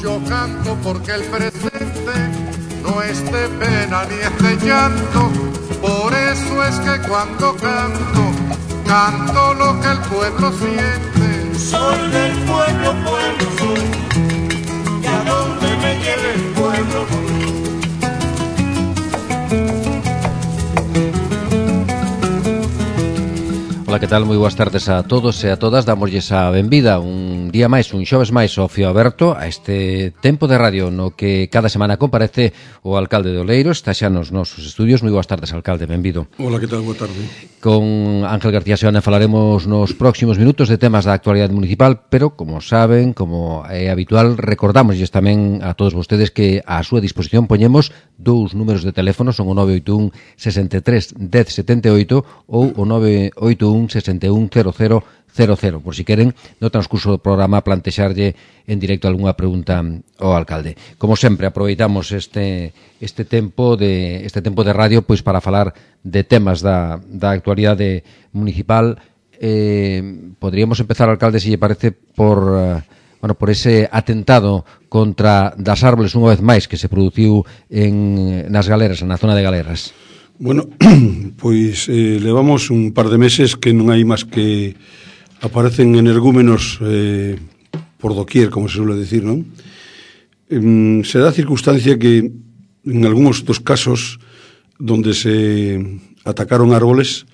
yo canto porque el presente no es de pena ni es de llanto. Por eso es que cuando canto, canto lo que el pueblo siente. Soy del pueblo, pueblo soy, y a donde me lleve el pueblo voy. Ola, que tal? Moi boas tardes a todos e a todas. Damosles a benvida un día máis, un xoves máis ao Fío Aberto, a este tempo de radio no que cada semana comparece o alcalde de Oleiro. Está xa nos nosos estudios. Moi boas tardes, alcalde, benvido. Ola, que tal? Boa tarde. Con Ángel García Seoane falaremos nos próximos minutos de temas da actualidade municipal, pero, como saben, como é habitual, recordamosles tamén a todos vostedes que a súa disposición poñemos dous números de teléfono, son o 981 63 10 78 ou o 981 61 00 00, por si queren no transcurso do programa plantexarlle en directo algunha pregunta ao alcalde. Como sempre, aproveitamos este tempo de radio pois para falar de temas da actualidade municipal. Podríamos empezar, alcalde, se lle parece, por ese atentado contra das árboles unha vez máis que se produciu nas Galeras, na zona de Galeras. Bueno, pois levamos un par de meses que non hai máis que aparecen energúmenos por doquier, como se suele decir, non? Se dá a circunstancia que en algúns dos casos donde se atacaron árboles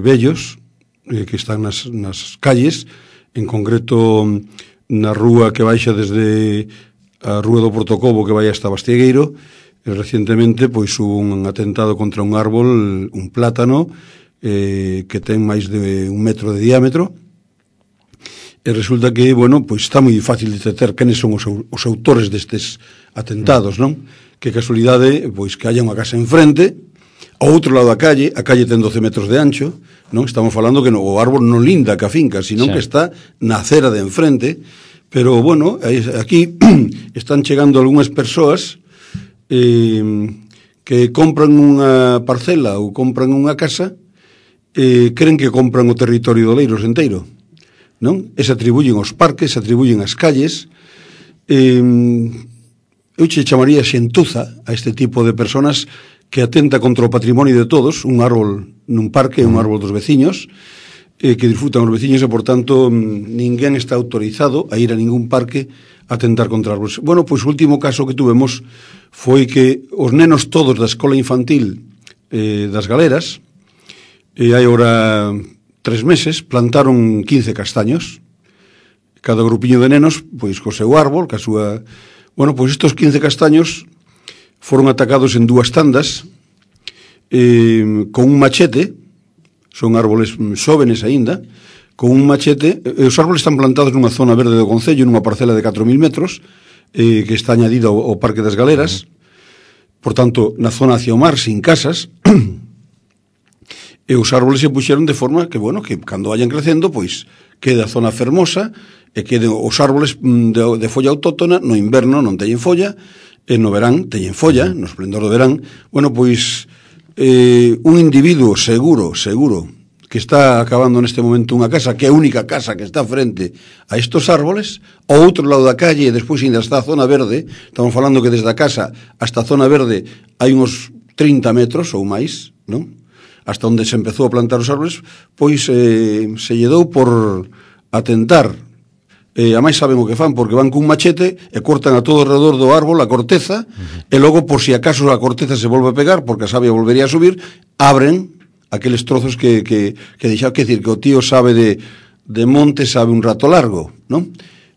bellos que están nas calles, en concreto na rúa que baixa desde a rúa do Portocobo que vai hasta Bastiegueiro. Recientemente pois hubo un atentado contra un árbol, un plátano que ten máis de 1 metro de diámetro, e resulta que, pois está moi fácil detectar quenes son os autores destes atentados, non? Que casualidade, pois que haya unha casa enfrente, ao outro lado da calle, a calle ten 12 metros de ancho, non? Estamos falando que o árbol non linda ca finca, sino que está na acera de enfrente, pero, aquí están chegando algunhas persoas que compran unha parcela ou compran unha casa e creen que compran o territorio de Oleiros enteiro, non? E se atribuyen os parques, se atribuyen as calles. Eu che chamaría xentuza a este tipo de personas que atenta contra o patrimonio de todos, un árbol nun parque, un árbol dos veciños, que disfrutan os veciños e, por tanto, ninguén está autorizado a ir a ningún parque a atentar contra árboles. Bueno, pois o último caso que tuvemos foi que os nenos todos da escola infantil das Galeras, hai ora 3 meses, plantaron 15 castaños. Cada grupiño de nenos, pois, co seu árbol, ca súa... Bueno, pois estos 15 castaños foron atacados en 2 tandas con un machete. Son árboles xóvenes aínda, con un machete. Os árboles están plantados nunha zona verde do concello, nunha parcela de 4.000 metros, que está añadida ao Parque das Galeras, por tanto, na zona hacia o mar, sin casas, e os árboles se puxeron de forma que, que cando vayan crecendo, pois, quede a zona fermosa, e queden os árboles de folla autóctona, no inverno non teñen folla, e no verán teñen folla, no esplendor do verán. Bueno, pois, un individuo seguro, que está acabando neste momento unha casa, que é a única casa que está frente a estos árboles, ao outro lado da calle, e despois ainda está a zona verde. Estamos falando que desde a casa hasta a zona verde hai uns 30 metros ou máis, non? Hasta onde se empezou a plantar os árboles, pois se lle dou por atentar. A máis saben o que fan, porque van cun machete e cortan a todo alrededor do árbol a corteza, e logo, por si acaso a corteza se volve a pegar, porque a savia volvería a subir, abren aqueles trozos que deixaron. Que decir, que o tío sabe de monte, sabe un rato largo, non?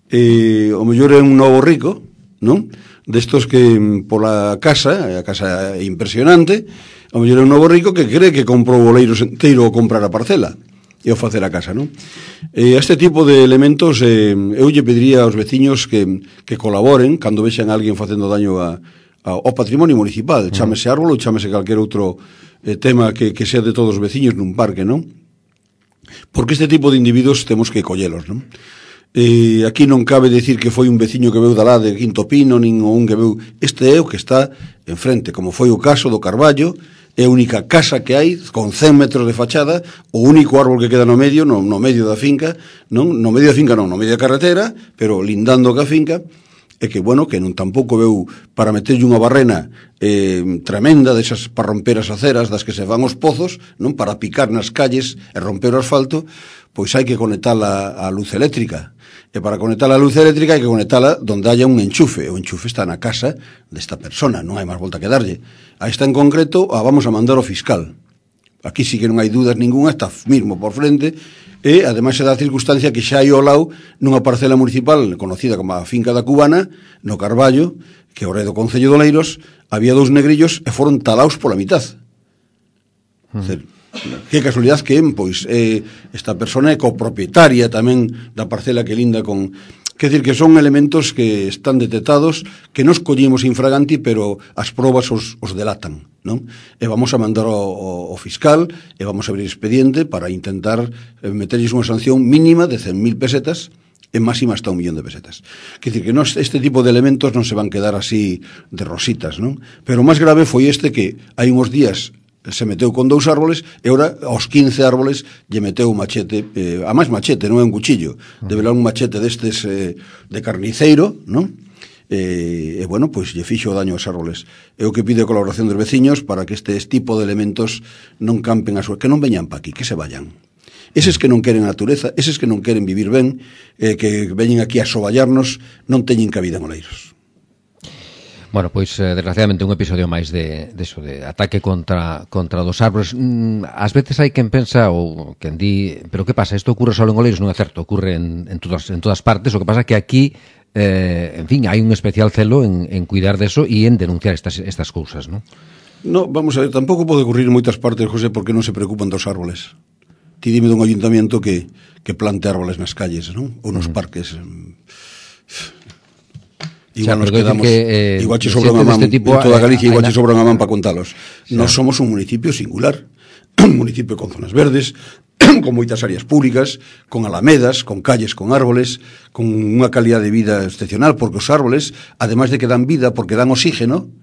O mellor é un novo rico, non? Destos que pola casa, a casa é impresionante, o mellor é un novo rico que cree que comprou o Oleiros enteiro ou comprar a parcela e o facer a casa, non? Este tipo de elementos eu lle pediría aos veciños que colaboren cando vexan a alguén facendo daño ao patrimonio municipal, chámese árbol ou chámese calquer outro tema que sea de todos os veciños nun parque, non? Porque este tipo de individuos temos que collelos, non? Aquí non cabe decir que foi un veciño que veu dalá de Quinto Pino, nin un que veu. Este é o que está enfrente, como foi o caso do Carballo. É a única casa que hai con 100 metros de fachada, o único árbol que queda no medio da finca, no medio da carretera, pero lindando ca finca. É que, bueno, que non tampouco veu para meterlle unha barrena tremenda desas para romper as aceras das que se van os pozos, non para picar nas calles e romper o asfalto, pois hai que conectala á luz eléctrica. E para conectala á luz eléctrica hai que conectala donde haya un enchufe. O enchufe está na casa desta persona, non hai máis volta que darlle. A esta en concreto a vamos a mandar ao fiscal. Aquí sí que non hai dudas ninguna, está mismo por frente, e ademais se dá a circunstancia que xa hai ao lado nunha parcela municipal conocida como a Finca da Cubana, no Carballo, que ao rei do Concello de Oleiros, había 2 negrillos e foron talaos pola mitad. Que casualidade que pois esta persona é copropietaria tamén da parcela que linda con... Quer dizer que son elementos que están detectados, que nos collimos infraganti, pero as probas os delatan, non? E vamos a mandar ao fiscal e vamos a abrir expediente para intentar meterlles unha sanción mínima de 100.000 pesetas e máxima hasta 1.000.000 de pesetas. Quer dizer que este tipo de elementos non se van quedar así de rositas, non? Pero o máis grave foi este que hai uns días se meteu con 2 árboles e ora aos 15 árboles lle meteu un machete, a máis machete, non é un cuchillo, debe ser un machete destes de carniceiro, non? E bueno, pois lle fixo o daño aos árboles. É o que pide a colaboración dos veciños para que este tipo de elementos non campen a súa, que non veñan pa aquí, que se vayan. Eses que non queren a natureza, eses que non queren vivir ben, que veñen aquí a soballarnos, non teñen cabida en Oleiros. Bueno, pois, desgraciadamente, un episodio máis de ataque contra dos árboles. Ás veces hai quen pensa, ou quen di, pero que pasa, isto ocurre só en Oleiros, non é certo, ocurre en todas partes, o que pasa é que aquí, en fin, hai un especial celo en cuidar deso e en denunciar estas cousas, non? No, vamos a ver, tampouco pode ocurrir en moitas partes, José, porque non se preocupan dos árboles. Ti dime dun ayuntamiento que plante árboles nas calles, non? Ou nos parques. Igual nos quedamos, igual che sobra unha man en toda Galicia, igual che sobra unha man para contalos. Nós somos un municipio singular, un municipio con zonas verdes, con moitas áreas públicas, con alamedas, con calles, con árboles, con unha calidad de vida excepcional, porque os árboles, ademais de que dan vida, porque dan oxígeno,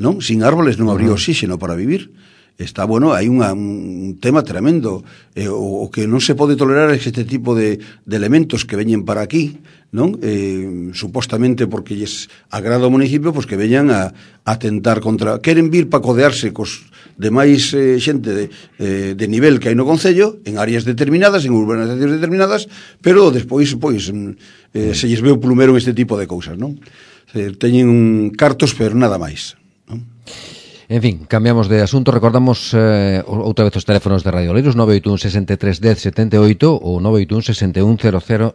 non? Sin árboles non habría oxígeno para vivir. Está, bueno, hai un tema tremendo. O que non se pode tolerar é este tipo de elementos que veñen para aquí, non? Supostamente porque lles agrada o municipio, pois que veñan a atentar contra... Queren vir para codearse cos demais xente de nivel que hai no Concello, en áreas determinadas, en urbanizacións determinadas, pero despois, pois, se lles veu plumero en este tipo de cousas, non? Teñen cartos, pero nada máis, non? En fin, cambiamos de asunto, recordamos outra vez os teléfonos de Radio Oleiros, 981 63 10 78 ou 981 61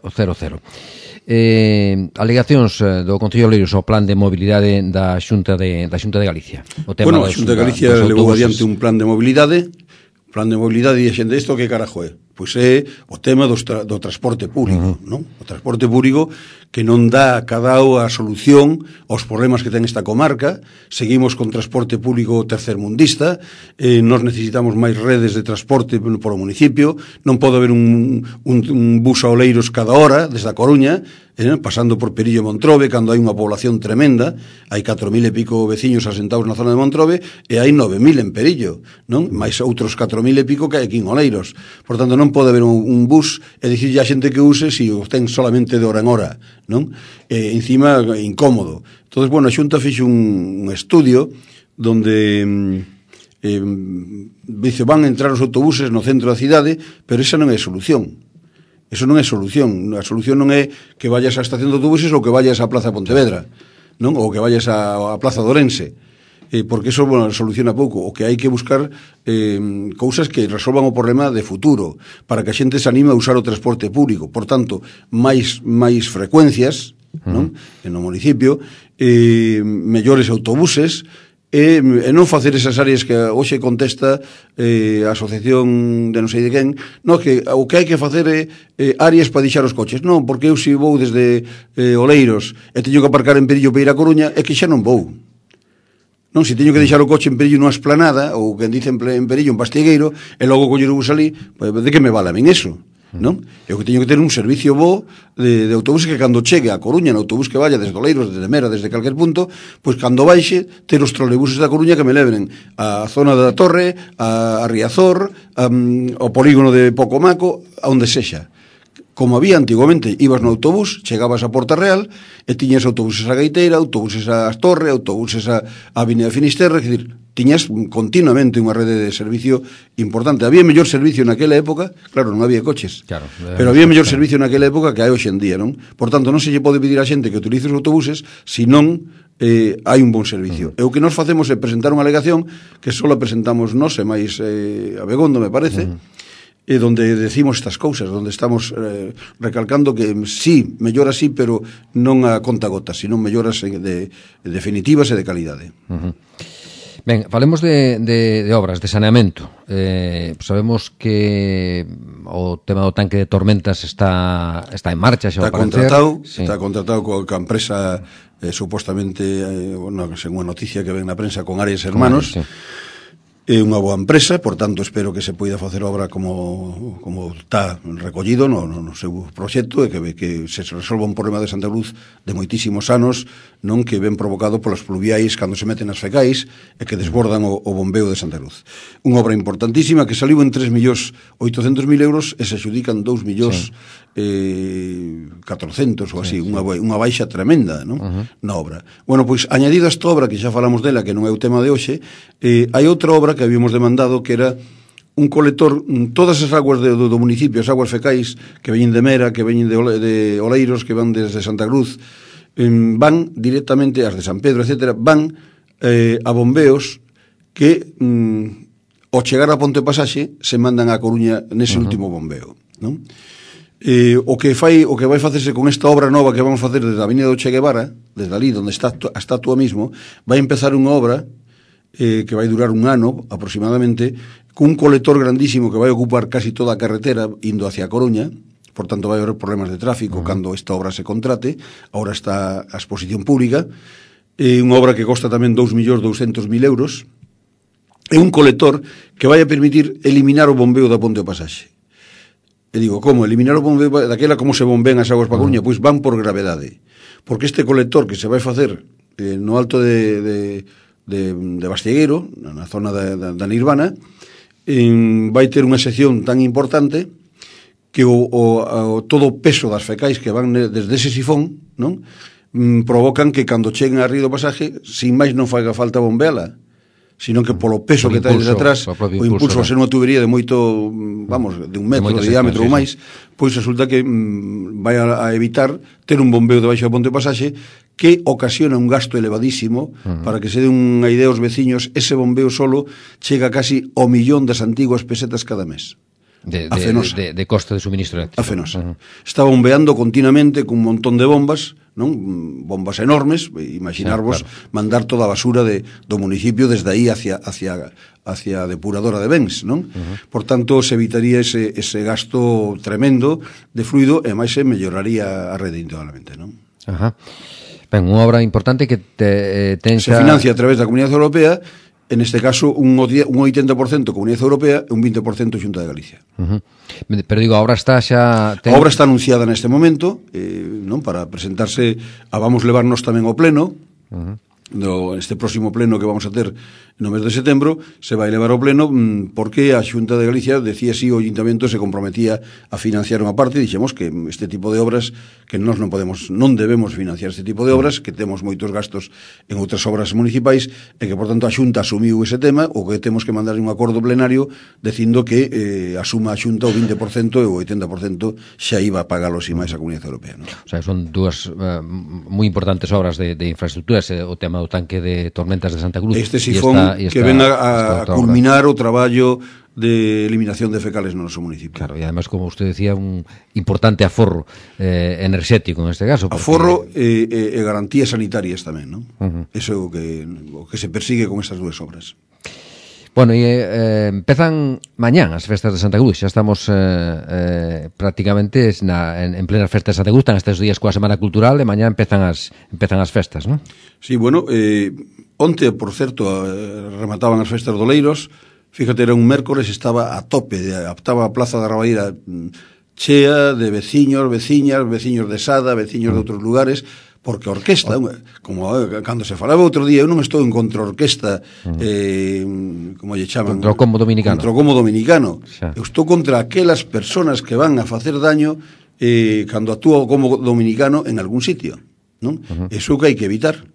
0000. Alegacións do Concello de Oleiros ao plan de mobilidade da Xunta de Galicia. O tema a Xunta de Galicia levou adiante un plan de mobilidade, e a xente, isto que carajo é? Pois é o tema do transporte público, non? O transporte público que non dá cadao a solución aos problemas que ten esta comarca. Seguimos con transporte público tercermundista, nos necesitamos máis redes de transporte por o municipio, non pode haber un bus a Oleiros cada hora, desde a Coruña, pasando por Perillo e Montrobe, cando hai unha población tremenda, hai 4.000 e pico veciños asentados na zona de Montrobe, e hai 9.000 en Perillo, non? Mais outros 4.000 e pico que hai aquí en Oleiros. Por tanto, non pode haber un bus e dicirlle a xente que use se o ten solamente de hora en hora, non? Encima, incómodo. Entón, bueno, a Xunta fixe un estudio donde dice, van a entrar os autobuses no centro da cidade, pero esa non é solución. Eso non é solución. A solución non é que vayas á estación de autobuses ou que vayas á Plaza Pontevedra, non? Ou que vayas á Plaza de Ourense. Porque eso, bueno, soluciona pouco. O que hai que buscar cousas que resolvan o problema de futuro, para que a xente se anime a usar o transporte público. Por tanto, máis frecuencias, non? En o municipio, mellores autobuses, e non facer esas áreas que hoxe contesta a asociación de non sei de quen, non, que o que hai que facer é áreas para deixar os coches. Non, porque eu se vou desde Oleiros e teño que aparcar en Perillo para ir a Coruña, é que xa non vou. Non, se teño que deixar o coche en Perillo nunha esplanada, ou quen dice en Perillo, en Pastigueiro, e logo coller o bus ali, pues, de que me vale a min eso? non? E o que teño que ter un servicio bo de autobuses que cando chegue a Coruña, no autobús que vaya desde Oleiros, desde Mera, desde calquer punto, pois cando baixe, ter os trolebuses da Coruña que me leven a zona da Torre, a Riazor, ao polígono de Pocomaco, a onde sexa. Como había antiguamente, ibas no autobús, chegabas a Porta Real e tiñas autobuses a Gaiteira, autobuses a Astorre, autobuses a Avenida Finisterre, é dicir, tiñas continuamente unha rede de servicio importante. Había mellor servicio naquela época, claro, non había coches, claro, pero había mellor servicio naquela época que hai hoxe en día, non? Por tanto, non se lle pode pedir a xente que utilice os autobuses se non hai un bon servicio. E o que nos facemos é presentar unha alegación que só presentamos nós e máis Abegondo, me parece, e donde decimos estas cousas, donde estamos recalcando que sí, mellora sí, pero non a conta gotas, sino melloras definitivas e de calidade. Ben, falemos de obras, de saneamento. Sabemos que o tema do tanque de tormentas está en marcha, xa está contratado coa empresa supostamente, según a noticia que ven na prensa, con Arias Hermanos. É unha boa empresa, por tanto espero que se poida facer obra como está recollido no seu proxecto e que se resolva un problema de Santa Cruz de moitísimos anos, non, que ven provocado polas pluviais cando se meten as fecais e que desbordan o bombeo de Santa Cruz. Unha obra importantísima que saliu en 3.800.000 euros e se adxudican 2.400.000 ou así, unha baixa tremenda, non? Na obra. Bueno, pois, añadido a esta obra, que xa falamos dela, que non é o tema de hoxe, hai outra obra que habíamos demandado, que era un colector, todas as aguas do municipio, as aguas fecais que veñen de Mera, que veñen de Oleiros, que van desde Santa Cruz, van directamente, as de San Pedro, etcétera, van a bombeos que ao chegar a Ponte Pasaxe se mandan a Coruña nese último bombeo, non? O que vai facerse con esta obra nova que vamos facer desde a Avenida do Che Guevara, desde ali onde está a estatua mismo, vai empezar unha obra que vai durar un ano aproximadamente, cun colector grandísimo que vai ocupar casi toda a carretera indo hacia a Coruña. Por tanto vai haber problemas de tráfico cando esta obra se contrate. Ahora está a exposición pública, unha obra que costa tamén 2.200.000 euros, é un colector que vai a permitir eliminar o bombeo da Ponte do Pasaxe. E digo, como? Eliminar o bombeo daquela, como se bombean as aguas para Coruña? Pois van por gravedade, porque este colector que se vai facer no alto de Bastiegueiro, na zona da Nirvana, vai ter unha sección tan importante que todo o peso das fecais que van desde ese sifón, non, provocan que cando cheguen a río do Pasaje, sin máis non faiga falta bombeala, sino que polo peso que trae desde atrás, o impulso a ser unha tubería de moito, de un metro de diámetro ou máis, pois resulta que vai a evitar ter un bombeo debaixo da Ponte do Pasaxe que ocasiona un gasto elevadísimo. Para que se den unha idea aos veciños, ese bombeo solo chega casi ao 1.000.000 das antiguas pesetas cada mes. De coste de suministro eléctrico. A Fenosa. Está bombeando continuamente cun montón de bombas, non? Bombas enormes, imaginarvos, mandar toda a basura do municipio desde aí hacia a depuradora de bens, non? Por tanto, se evitaría ese gasto tremendo de fluido e máis se melloraría a rede integralmente, non? Ben, unha obra importante que se financia a través da Comunidade Europea. En este caso, un 80% Comunidade Europea e un 20% Xunta de Galicia. Pero digo, a obra está xa... A obra está anunciada neste momento, non, para presentarse, vamos levarnos tamén ao pleno, este próximo pleno que vamos a ter no mes de setembro, se vai levar ao pleno porque a Xunta de Galicia decía si o Ayuntamento se comprometía a financiar unha parte, e dixemos que este tipo de obras, que nós non debemos financiar este tipo de obras, que temos moitos gastos en outras obras municipais, e que, por tanto, a Xunta asumiu ese tema, o que temos que mandar un acordo plenario dicindo que asuma a Xunta o 20% e o 80% xa iba a pagalo sin máis a Comunidade Europea, non? O sea, son dúas moi importantes obras de infraestructuras, o tema do tanque de tormentas de Santa Cruz. Este sifón que ven a culminar o traballo de eliminación de fecales no noso municipio. Claro, e además, como usted decía, un importante aforro enerxético en este caso. Aforro e garantías sanitarias tamén, non? Eso é o que se persigue con estas dúas obras. Bueno, e empezan mañán as festas de Santa Cruz. Xa estamos prácticamente en plenas festas de Santa Cruz. Están estes días coa Semana Cultural e mañán empezan as festas, non? Sí, bueno, onte, por certo, remataban as festas do Oleiros. Fíjate, era un mércores, estaba a tope, estaba a Plaza da Rabaíra chea de veciños, veciñas, veciños de Sada, veciños de outros lugares, porque a orquesta, como cando se falaba outro día, eu non estou en contra a orquesta, como lle chaman? Contra o combo dominicano. Contra o combo dominicano. Eu estou contra aquelas personas que van a facer daño cando actúa o combo dominicano en algún sitio, non? Eso que hai que evitar.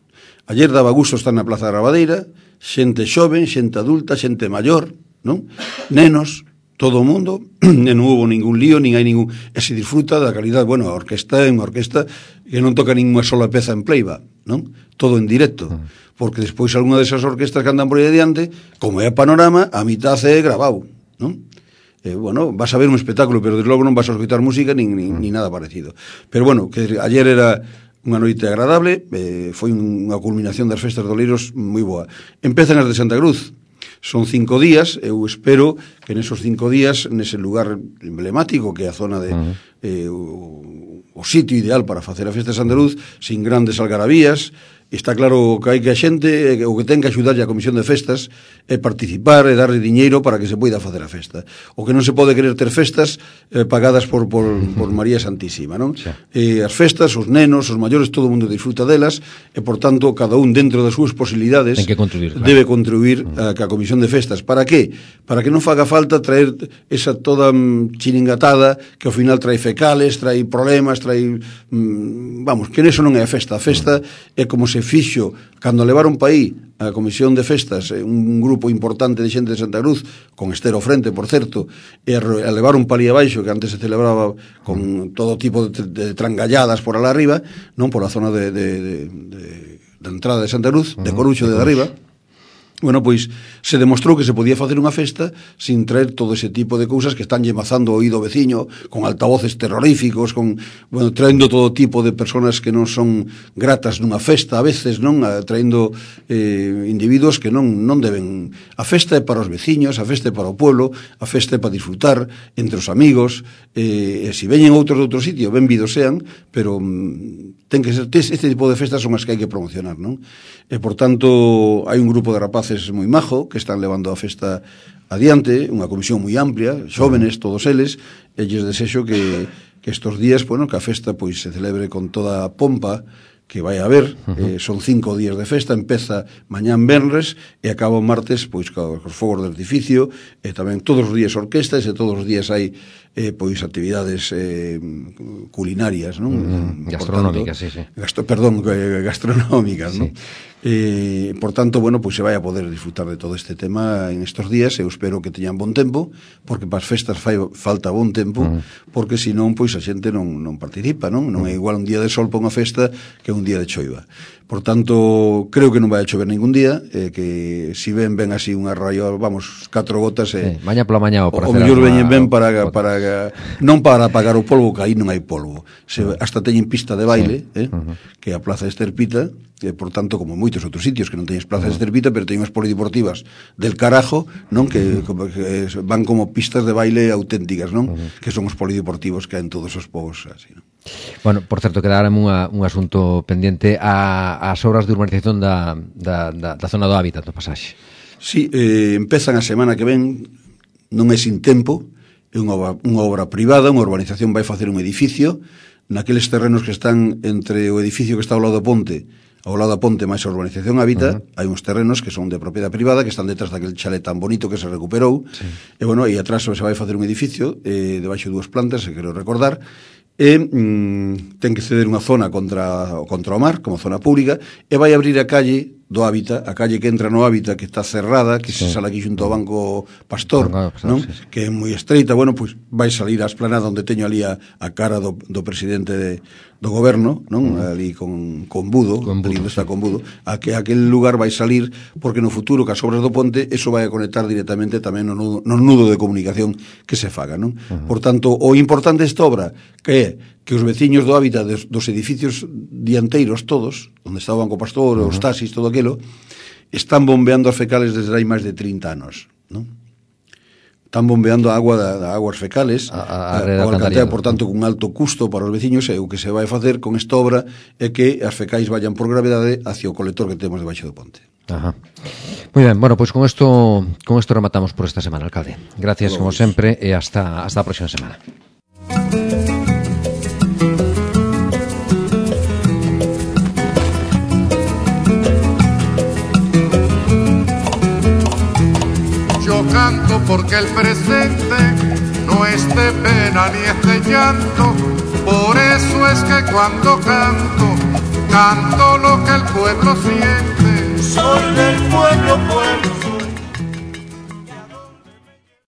Ayer daba gusto estar na Plaza da Rabadeira, xente xoven, xente adulta, xente maior, non? Nenos, todo o mundo, e non hubo ningún lío, nin hai ningún... E se disfruta da calidad, bueno, a orquesta é unha orquesta que non toca ninguna sola peza en playback, non? Todo en directo, porque despois algunha desas orquestas que andan por aí adiante, como é a Panorama, a mitad é grabado, non? Bueno, vas a ver un espectáculo, pero desde logo non vas a escutar música nin nada parecido. Pero bueno, que ayer era unha noite agradable, foi unha culminación das festas de Oleiros moi boa. Empezan as de Santa Cruz. Son 5 días, eu espero que nesos 5 días, nese lugar emblemático que é a zona de o sitio ideal para facer a festa de Santa Cruz, sin grandes algarabías. Está claro que hai que a xente, o que ten que axudarlle a Comisión de Festas é participar e darle diñeiro para que se poida facer a festa. O que non se pode querer ter festas pagadas por María Santísima, non? As festas, os nenos, os maiores, todo o mundo disfruta delas e, por tanto, cada un dentro das súas posibilidades debe contribuir a Comisión de Festas. Para que? Para que non faga falta traer esa toda chiringatada que ao final trae fecales, trae problemas, trae... vamos, que neso non é a festa. A festa é como se fixo cando levaron pa aí a Comisión de Festas, un grupo importante de xente de Santa Cruz, con Estero frente, por certo, e a levaron pa ali abaixo, que antes se celebraba con todo tipo de trangalladas por alá arriba, non por a zona de entrada de Santa Cruz, de Coruxo de arriba. Bueno, pois se demostrou que se podía facer unha festa sin traer todo ese tipo de cousas que están llemazando o oído veciño, con altavoces terroríficos, con, bueno, traendo todo tipo de personas que non son gratas nunha festa, a veces, non? Traendo individuos que non deben... A festa é para os veciños, a festa é para o pueblo, a festa é para disfrutar entre os amigos, e se veñen outros de outro sitio, benvidos sean, pero ten que ser, este tipo de festas son as que hai que promocionar, non? E, por tanto, hai un grupo de rapaces moi majo que están levando a festa adiante, unha comisión moi amplia, xóvenes, todos eles, e lles desexo que estos días, bueno, que a festa pois se celebre con toda a pompa que vai a haber. Son 5 días de festa, empeza mañán venres e acaba o martes pois cos fogos de artificio, e tamén todos os días orquestas, e todos os días hai pois actividades culinarias, non? Gastronómicas, sí. Gastronómicas, non? Por tanto, bueno, pois se vai a poder disfrutar de todo este tema en estos días. Eu espero que teñan bon tempo, porque para as festas fai falta bon tempo, porque senón pois a xente non participa, non? Non é igual un día de sol para unha festa que un día de choiva. Por tanto, creo que non vai a chover ningún día, que si ven así unha raio, vamos, 4 gotas, maña pola mañá, o mellor veñen ben para non para apagar o polvo, que aí non hai polvo. Hasta teñen pista de baile, que é a Plaza Esterpita, e, por tanto, como moitos outros sitios que non teñen Plaza Esterpita, pero teñen as polideportivas del carajo, non? Que van como pistas de baile auténticas, non? Que son os polideportivos que hai en todos os povos, así, non? Bueno, por certo, quedarame un asunto pendiente as obras de urbanización da zona do hábitat do pasaxe. Sí, empezan a semana que ven, non é sin tempo, é unha obra privada, unha urbanización vai facer un edificio naqueles terrenos que están entre o edificio que está ao lado da ponte máis a urbanización Hábitat. Hai uns terrenos que son de propiedade privada, que están detrás daquele chalet tan bonito que se recuperou, e bueno, aí atrás se vai facer un edificio debaixo de 2 plantas, se quero recordar, e ten que ceder unha zona contra o mar, como zona pública, e vai abrir a calle do Hábitat, a calle que entra no Hábitat, que está cerrada, que se sale aquí xunto ao Banco Pastor, non? Que é moi estreita. Bueno, pois vai salir a esplanada onde teño ali a cara do presidente do goberno, non? Ali con Budo, ali onde está con Budo, aquel lugar vai salir, porque no futuro, cas obras do ponte, eso vai a conectar directamente tamén no nudo de comunicación que se faga, non? Por tanto, o importante desta obra, que é que os veciños do Hábitat dos edificios dianteiros todos, onde está o Banco Pastor, os taxis, todo aquilo, están bombeando as fecales desde hai máis de 30 anos, non? Están bombeando a agua das aguas fecales, a alcantarilla, por tanto, con alto custo para os veciños, e o que se vai facer con esta obra é que as fecais vayan por gravedade hacia o colector que temos debaixo do ponte. Moi ben, bueno, pois con isto rematamos por esta semana, alcalde. Gracias, como sempre, e hasta a próxima semana. Yo canto porque el presente no es de pena ni es de llanto, por eso es que cuando canto, canto lo que el pueblo siente. Soy